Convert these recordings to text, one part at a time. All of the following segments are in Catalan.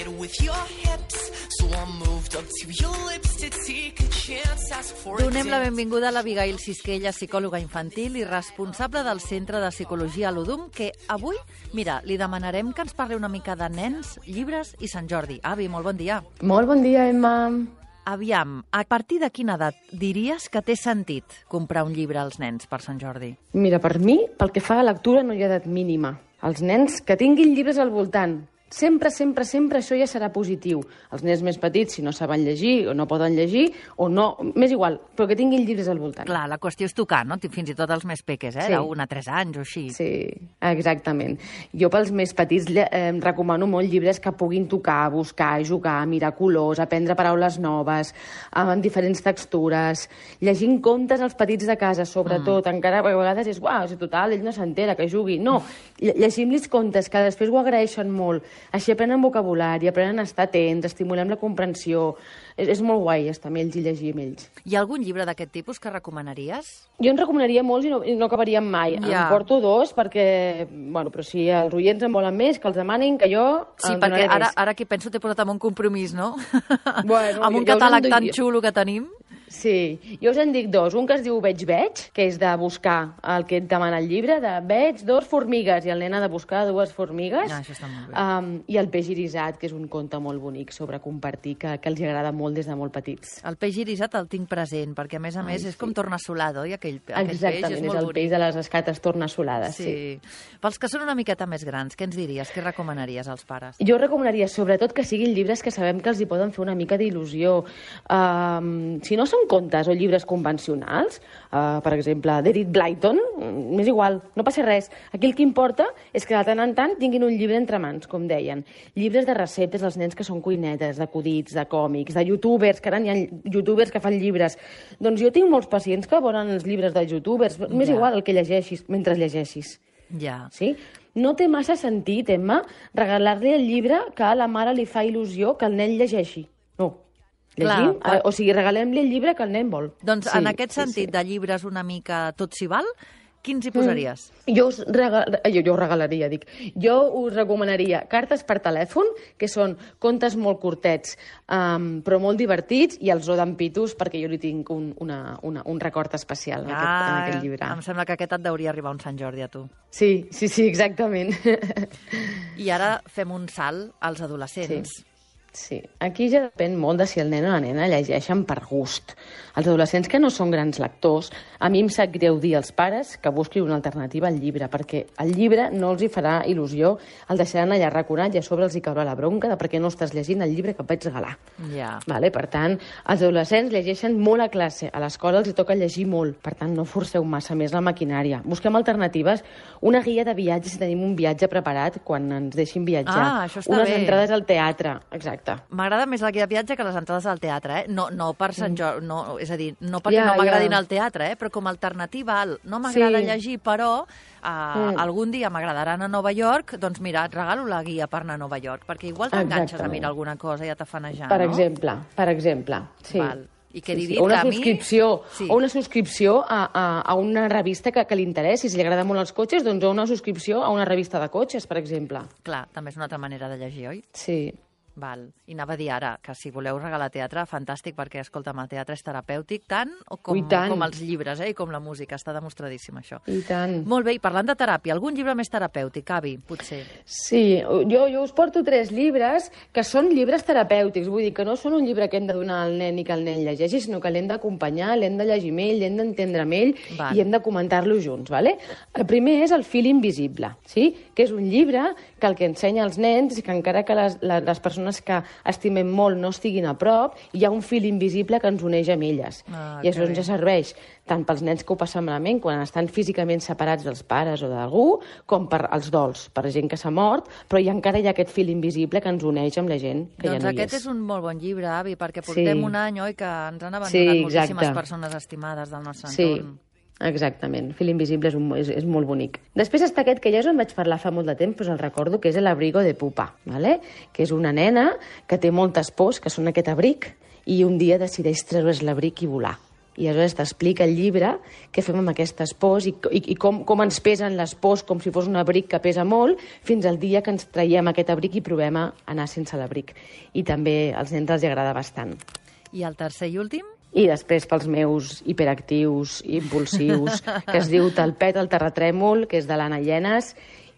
it with your hips. So I moved up to your lips to take a chance, ask for a Donem la dance. benvinguda a l'Abigail Sisquella, psicòloga infantil i responsable del Centre de Psicologia Ludum, que avui, mira, li demanarem que ens parli una mica de nens, llibres i Sant Jordi. Avi, molt bon dia. Molt bon dia, Emma. Aviam, a partir de quina edat diries que té sentit comprar un llibre als nens per Sant Jordi? Mira, per mi, pel que fa a lectura, no hi ha edat mínima. Els nens que tinguin llibres al voltant, sempre això ja serà positiu. Els nens més petits, si no saben llegir o no poden llegir, o no, m'és igual, però que tinguin llibres al voltant. Clar, la qüestió és tocar, no? Fins i tot els més peques, Sí. d'1 a 3 anys o així. Sí, exactament. Jo pels més petits recomano molt llibres que puguin tocar, buscar, jugar, mirar colors, aprendre paraules noves, amb diferents textures, llegint contes als petits de casa, sobretot. Encara a vegades és, uau, si total, ell no s'entera, que jugui. No, llegim-los contes que després ho agraeixen molt. Així aprenen vocabulari, aprenen a estar atents, estimulem la comprensió. És molt guai estar amb ells i llegir amb ells. Hi ha algun llibre d'aquest tipus que recomanaries? Jo en recomanaria molts i no acabaríem mai. Ja. Em porto 2 perquè, bueno, però si els oients en volen més, que els demanin, que jo Sí, en perquè donaré més. ara que penso t'he posat amb un compromís, no? Bueno, amb un jo us en catàleg doy- tan xulo que tenim. Sí, jo us en dic 2. Un que es diu Veig, que és de buscar el que et demana el llibre, de veig 2 formigues, i el nen ha de buscar 2 formigues. Ah, això està molt bé. I el peix irisat, que és un conte molt bonic sobre compartir, que els agrada molt des de molt petits. El peix irisat el tinc present, perquè a més és com tornassolado, i aquell peix Exactament, és és molt el bonic. peix de les escates tornassolades, sí. Sí. Pels que són una miqueta més grans, què ens diries? Què recomanaries als pares? Jo recomanaria sobretot que siguin llibres que sabem que els hi poden fer una mica d'il·lusió. Si no són contes o llibres convencionals, per exemple, d'Edith Blyton, m'és igual, no passa res. Aquí el que importa és que de tant en tant tinguin un llibre entre mans, com deien. Llibres de receptes dels nens que són cuinetes, d'acudits, de còmics, de youtubers, que ara hi ha youtubers que fan llibres. Doncs jo tinc molts pacients que volen els llibres de youtubers. M'és Ja. igual el que llegeixis, mentre llegeixis. Ja. Sí? No té massa sentit, Emma, regalar-li el llibre que a la mare li fa il·lusió que el nen llegeixi. No. Llegim, Clar, o sigui, regalem-li el llibre que el nen vol. Doncs Sí, en aquest sí, sentit sí. de llibres una mica tot s'hi val, quins hi posaries? Jo us regalaria, dic. Jo us recomanaria cartes per telèfon, que són contes molt curtets, però molt divertits, i els Rodan Pitus, perquè jo li tinc un record especial en aquest llibre. Em sembla que aquest et deuria arribar un Sant Jordi a tu. Sí, exactament. I ara fem un salt als adolescents. Sí, aquí ja depèn molt de si el nen o la nena llegeixen per gust. Els adolescents que no són grans lectors, a mi em sap greu dir als pares que busquin una alternativa al llibre, perquè el llibre no els hi farà il·lusió, el deixaran allà arraconat i a sobre els hi caurà la bronca de perquè no estàs llegint el llibre que et vaig regalar. Ja. Vale? Per tant, els adolescents llegeixen molt a classe, a l'escola els hi toca llegir molt, per tant, no forceu massa més la maquinària. Busquem alternatives, una guia de viatges si tenim un viatge preparat quan ens deixin viatjar. Ah, això està unes bé. entrades al teatre, exacte. M'agrada més la guia de viatge que les entrades al teatre, eh? No per Sant Jordi, no, és a dir, no perquè Ja, no m'agradin ja. al teatre, però com a alternativa al no m'agrada Sí. llegir, però algun dia m'agradarà anar a Nova York, doncs mira, et regalo la guia per anar a Nova York, perquè igual t'enganxes a Exactament. mirar alguna cosa i a tafanejar, Per no? exemple, sí. Val. I què he dit? O una Que a mi- subscripció, Sí. o una subscripció a una revista que li interessi. Si li agrada molt els cotxes, doncs una subscripció a una revista de cotxes, per exemple. Clar, també és una altra manera de llegir, oi? Sí. Val. I anava a dir ara que si voleu regalar teatre, fantàstic, perquè, escolta'm, el teatre és terapèutic tant com els llibres, i com la música. Està demostradíssim, això. I tant. Molt bé, i parlant de teràpia, algun llibre més terapèutic, Avi, potser? Sí, jo us porto 3 llibres que són llibres terapèutics, vull dir que no són un llibre que hem de donar al nen i que el nen llegeixi, sinó que l'hem d'acompanyar, l'hem de llegir amb ell, l'hem d'entendre amb ell Val. i hem de comentar-lo junts, ¿vale? El primer és El fil invisible, sí? Que és un llibre que el que ensenya als nens és que encara que les persones que estimem molt no estiguin a prop, hi ha un fil invisible que ens uneix amb elles. I això ens serveix tant pels nens que ho passen malament quan estan físicament separats dels pares o d'algú, com per als dols, per gent que s'ha mort, però encara hi ha aquest fil invisible que ens uneix amb la gent que Doncs ja no hi aquest és. és un molt bon llibre, Avi, perquè portem Sí. un any, oi, que ens han abandonat Sí, moltíssimes exacte. persones estimades del nostre Sí, entorn. exactament. Fil invisible és molt bonic. Després està aquest, que ja us en vaig parlar fa molt de temps, però el recordo, que és l'Abrigo de Pupa, ¿vale? Que és una nena que té moltes pors, que són aquest abric, i un dia decideix treure's l'abric i volar. I aleshores t'explica el llibre què fem amb aquestes pors i com ens pesen les pors com si fos un abric que pesa molt, fins al dia que ens traiem aquest abric i provem a anar sense l'abric. I també als nens els agrada bastant. I el tercer i últim? I després pels meus hiperactius, impulsius, que es diu Te'l pet el terratrèmol, que és de l'Anna Llenes,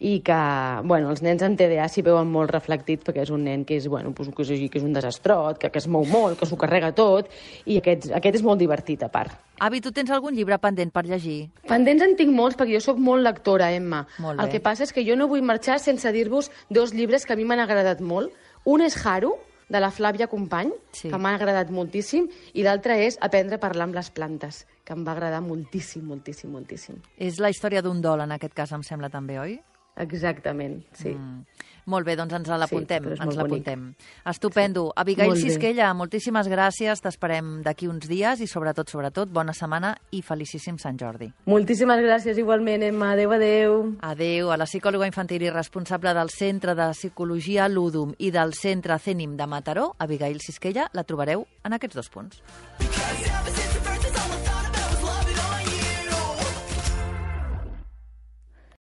i que, bueno, els nens amb TDA s'hi veuen molt reflectits perquè és un nen que és, bueno, que és un desastrot, que es mou molt, que s'ho carrega tot, i aquest és molt divertit, a part. Avi, tu tens algun llibre pendent per llegir? Pendents en tinc molts, perquè jo sóc molt lectora, Emma. Molt bé. El que passa és que jo no vull marxar sense dir-vos 2 llibres que a mi m'han agradat molt. Un és Haru, de la Flàvia Company, sí, que m'ha agradat moltíssim, i l'altre és Aprendre a parlar amb les plantes, que em va agradar moltíssim, moltíssim, moltíssim. És la història d'un dol, en aquest cas, em sembla també, oi? Exactament, sí. Molt bé, doncs ens l'apuntem. Sí, ens l'apuntem. Estupendo. Sí. Abigail Molt bé. Sisquella, moltíssimes gràcies. T'esperem d'aquí uns dies i, sobretot, bona setmana i felicíssim Sant Jordi. Moltíssimes gràcies igualment, Emma. Adéu, adéu. Adéu. A la psicòloga infantil i responsable del Centre de Psicologia Ludum i del Centre CENIM de Mataró, Abigail Sisquella, la trobareu en aquests 2 punts. Because ever since the birth is all I thought